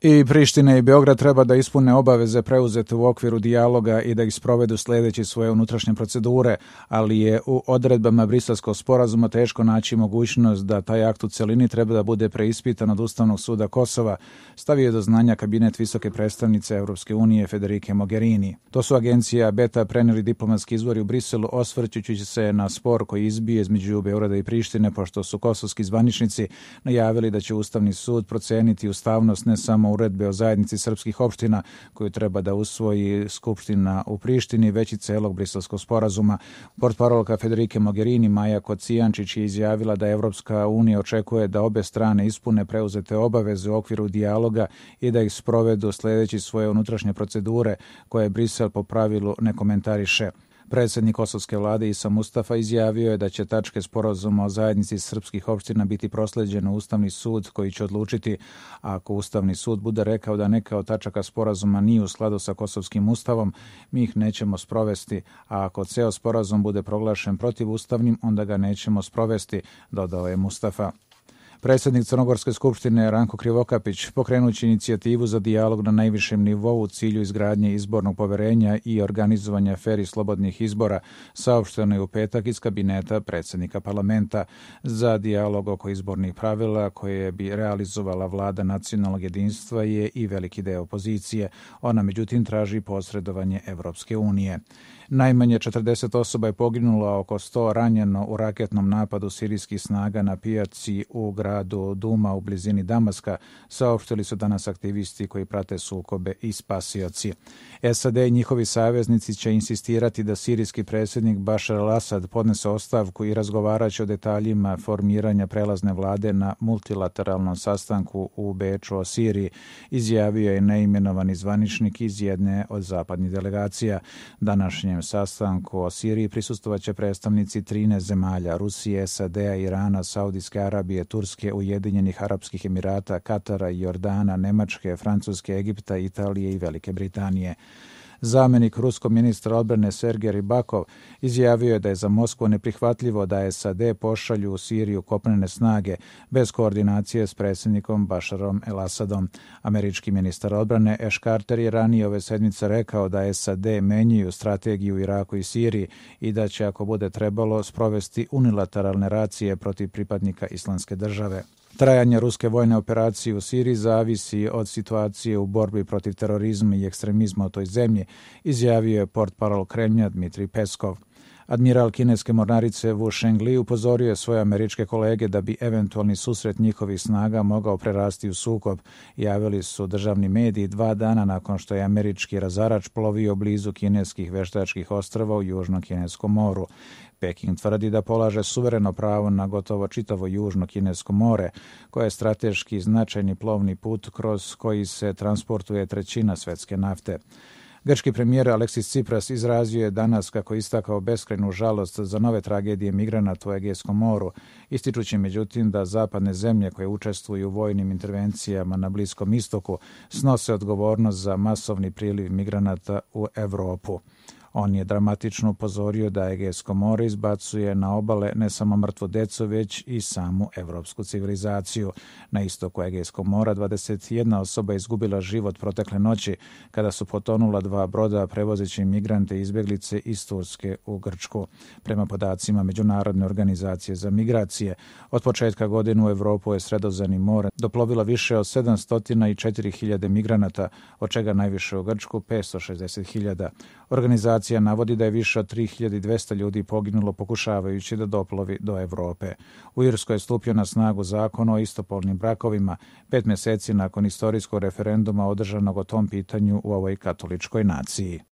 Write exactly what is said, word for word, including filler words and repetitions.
I Priština i Beograd treba da ispune obaveze preuzete u okviru dijaloga i da ih sprovedu sljedeći svoje unutrašnje procedure, ali je u odredbama Briselskog sporazuma teško naći mogućnost da taj akt u celini treba da bude preispitan od Ustavnog suda Kosova, stavio do znanja kabinet visoke predstavnice Evropske unije Federike Mogherini. To su agencija Beta preneli diplomatski izvori u Briselu, osvrćući se na spor koji izbije između Beograda i Prištine, pošto su kosovski zvaničnici najavili da će Ustavni sud proceniti ustavnost ne samo uredbe o zajednici srpskih opština koju treba da usvoji Skupština u Prištini, već i celog Briselskog sporazuma. Portparolka Federike Mogherini Maja Kocijančić je izjavila da Evropska unija očekuje da obe strane ispune preuzete obaveze u okviru dijaloga i da ih sprovedu sledeći svoje unutrašnje procedure koje Brisel po pravilu ne komentariše. Predsjednik kosovske vlade Isa Mustafa izjavio je da će tačke sporazuma o zajednici srpskih opština biti prosleđene u Ustavni sud koji će odlučiti, a ako Ustavni sud bude rekao da neka od tačaka sporazuma nije u skladu sa kosovskim ustavom, mi ih nećemo sprovesti, a ako ceo sporazum bude proglašen protivustavnim, onda ga nećemo sprovesti, dodao je Mustafa. Predsjednik Crnogorske skupštine Ranko Krivokapić, pokrenući inicijativu za dijalog na najvišem nivou u cilju izgradnje izbornog poverenja i organizovanja fer i slobodnih izbora, saopšteno je u petak iz kabineta predsjednika parlamenta. Za dijalog oko izbornih pravila koje bi realizovala vlada nacionalnog jedinstva je i veliki deo opozicije. Ona međutim traži posredovanje Evropske unije. Najmanje četrdeset osoba je poginulo, a oko sto ranjeno u raketnom napadu sirijskih snaga na pijaci u gradu Duma u blizini Damaska, saopštili su danas aktivisti koji prate sukobe i spasioci. S A D i njihovi saveznici će insistirati da sirijski predsjednik Bašar al-Asad podnese ostavku i razgovaraće o detaljima formiranja prelazne vlade na multilateralnom sastanku u Beču o Siriji, izjavio je neimenovani zvaničnik iz jedne od zapadnih delegacija. Današnje sastanku o Siriji prisustvovaće predstavnici trinaest zemalja: Rusije, S A D-a, Irana, Saudijske Arabije, Turske, Ujedinjenih Arapskih Emirata, Katara, Jordana, Nemačke, Francuske, Egipta, Italije i Velike Britanije. Zamenik ruskog ministra odbrane Sergej Ribakov izjavio je da je za Moskvu neprihvatljivo da S A D pošalju u Siriju kopnene snage bez koordinacije s predsjednikom Bašarom el-Asadom. Američki ministar odbrane Ash Carter je ranije ove sedmice rekao da S A D menjaju strategiju u Iraku i Siriji i da će, ako bude trebalo, sprovesti unilateralne racije protiv pripadnika Islamske države. Trajanje ruske vojne operacije u Siriji zavisi od situacije u borbi protiv terorizma i ekstremizma u toj zemlji, izjavio je portparol Kremlja Dmitrij Peskov. Admiral kineske mornarice Wu Shengli upozorio je svoje američke kolege da bi eventualni susret njihovih snaga mogao prerasti u sukob. Javili su državni mediji dva dana nakon što je američki razarač plovio blizu kineskih veštačkih ostrva u Južnom kineskom moru. Peking tvrdi da polaže suvereno pravo na gotovo čitavo Južno kinesko more, koje je strateški značajni plovni put kroz koji se transportuje trećina svetske nafte. Grčki premijer Aleksis Tsipras izrazio je danas kako je istakao beskrajnu žalost za nove tragedije migranata u Egejskom moru, ističući međutim da zapadne zemlje koje učestvuju u vojnim intervencijama na Bliskom istoku snose odgovornost za masovni priliv migranata u Evropu. On je dramatično upozorio da Egejsko more izbacuje na obale ne samo mrtvu decu, već i samu evropsku civilizaciju. Na istoku Egejskog mora dvadeset jedna osoba je izgubila život protekle noći kada su potonula dva broda prevozeći migrante i izbjeglice iz Turske u Grčku. Prema podacima Međunarodne organizacije za migracije, od početka godine u Evropu je Sredozemnim morem doplovilo više od sedamsto četiri hiljade migranata, od čega najviše u Grčku petsto šezdeset hiljada. Organizacija navodi da je više od tri hiljade dvesta ljudi poginulo pokušavajući da doplovi do Evrope. U Irskoj je stupio na snagu zakon o istopolnim brakovima, pet mjeseci nakon istorijskog referenduma održanog o tom pitanju u ovoj katoličkoj naciji.